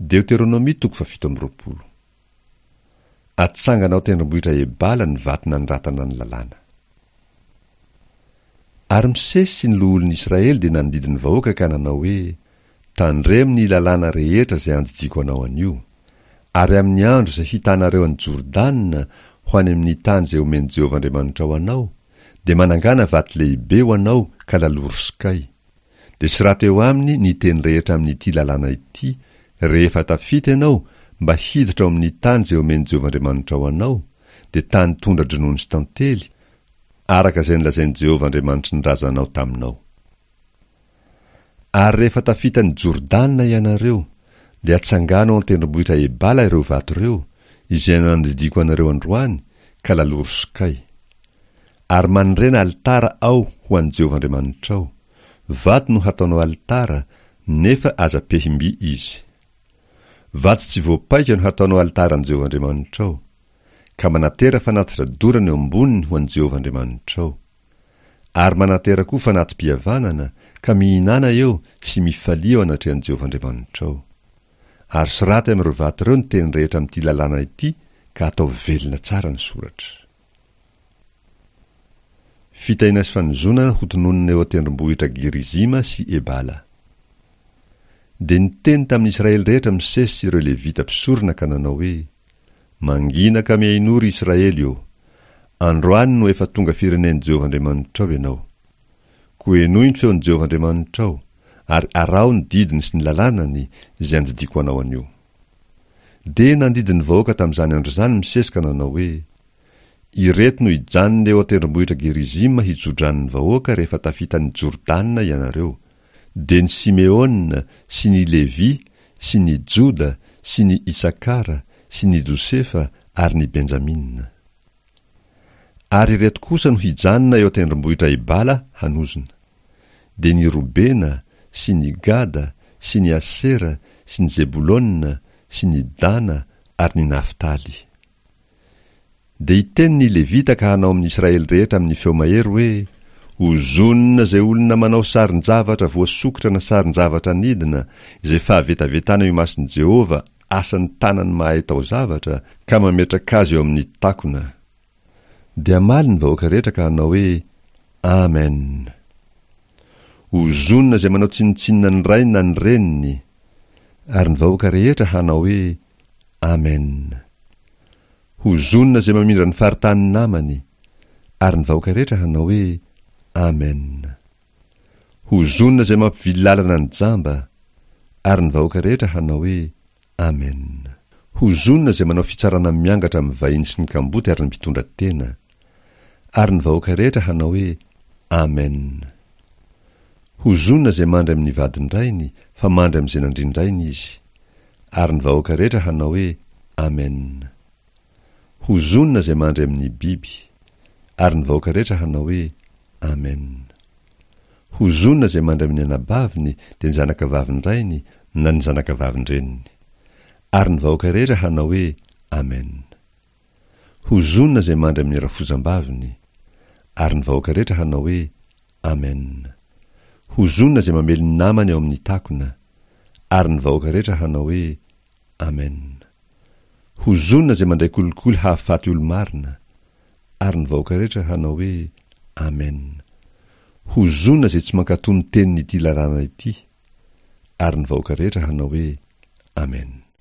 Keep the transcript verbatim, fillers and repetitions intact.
Deoteronomia toko fahafito amby roapolo. Atsangana ao an-tendrombohitra Ebala ny vato nanoratana ny lalàna. Ary Mosesy sy ny loholon'ny Israely dia nandidy ny vahoaka ka nanao hoe, Tandremo ny lalàna rehetra izay andidiako anao anio. Ary amin'ny andro izay hitanareo an'i Jordana ho any amin'ny tany izay omen'i Jehovah Andriamanitrao anao, dia manangàna vato lehibe ho anao ka laloro sokay. Dia soraty eo aminy ny teny rehetra amin'ity lalàna ity, rehefa tafita ianao mba hiditra ao amin'ny tany izay omen'i Jehovah Andriamanitrao anao, dia tany tondra-dronono sy tantely, araka izay nolazain'i Jehovah Andriamanitry ny razanao taminao. Ary rehefa tafita an'i Jordana ianareo, dia atsangano ao an-tendrombohitra Ebala ireo vato ireo, izay nandidiako anareo androany, ka laloro sokay. Ary manorena alitara ao ho an'i Jehovah Andriamanitrao. Vato no hataonao alitara, nefa aza pehim-by izy. Vato tsy voapaika no hataonao alitaran'i Jehovah Andriamanitrao, ka manatera fanatitra dorana eo amboniny ho an'i Jehovah Andriamanitrao. Ary manatera koa fanati-pihavanana, ka mihinàna eo sy mifalia eo anatrehan'i Jehovah Andriamanitrao. Ary soraty amin'ireo vato ireo ny teny rehetra amin'ity lalàna ity, ka ataovy velona tsara ny soratra. Fitahiana sy fanozonana hotononina eo an-tendrombohitra Gerizima sy Ebala. Dia niteny tamin'ny Israely rehetra Mosesy sy ireo Levita mpisorona ka nanao hoe, Mangina ka mihainoa, ry Israely ô! Androany no efa tonga firenen'i Jehovah Andriamanitrao ianao. Koa henoy ny feon'i Jehovah Andriamanitrao, ary araho ny didiny sy ny lalànany, izay andidiako anao anio. Dia nandidy ny vahoaka tamin'izany andro izany Mosesy ka nanao hoe, Ireto no hijanona eo an-tendrombohitra Gerizima hitso-drano ny vahoaka rehefa tafita an'i Jordana ianareo, dia ny Simeona sy ny Levy sy ny Joda sy ny Isakara sy ny Josefa ary ny Benjamina. Ary ireto kosa no hijanona eo an-tendrombohitra Ebala hanozona, dia ny Robena sy ny Gada sy ny Asera sy ny Zebolona sy ny Dana ary ny Naftaly. Dia hiteny ny Levita ka hanao amin'ny Israely rehetra amin'ny feo mahery hoe, Ozonina izay olona manao sarin-javatra voasokitra na sarin-javatra anidina, izay fahavetavetana eo imason'i Jehovah, asan'ny tanany mahay taozavatra, ka mametraka azy eo amin'ny takona. Dia hamaly ny vahoaka rehetra ka hanao hoe, Amen. Ozonina izay manao tsinontsinona ny rainy na ny reniny. Ary ny vahoaka rehetra hanao hoe, Amen. Hozonina izay mamindra ny faritanin'ny namany. Ary ny vahoaka rehetra hanao hoe, Amen. Hozonina izay mampivily lalana ny jamba. Ary ny vahoaka rehetra hanao hoe, Amen. Hozonina izay manao fitsarana miangatra amin'ny vahiny sy ny kamboty ary ny mpitondra tena. Ary ny vahoaka rehetra hanao hoe, Amen. Hozonina izay mandry amin'ny vadin-drainy, fa mandry amin'izay nandrindrainy izy. Ary ny vahoaka rehetra hanao hoe, Amen. Hozonina izay mandry amin'ny biby. Ary ny vahoaka rehetra hanao hoe, Amen. Hozonina izay mandry amin'ny anabaviny, dia ny zanakavavin-drainy na ny zanakavavin-dreniny. Ary ny vahoaka rehetra hanao hoe, Amen. Hozonina izay mandry amin'ny rafozam-baviny. Ary ny vahoaka rehetra hanao hoe, Amen. Hozonina izay mamely ny namany ao amin'ny takona. Ary ny vahoaka rehetra hanao hoe, Amen. Hozonina izay mandray kolikoly hahafaty olo-marina. Ary ny vahoaka rehetra hanao hoe, Amen. Hozonina izay tsy mankatò ny tenin'ity lalàna ity. Ary ny vahoaka rehetra hanao hoe, Amen.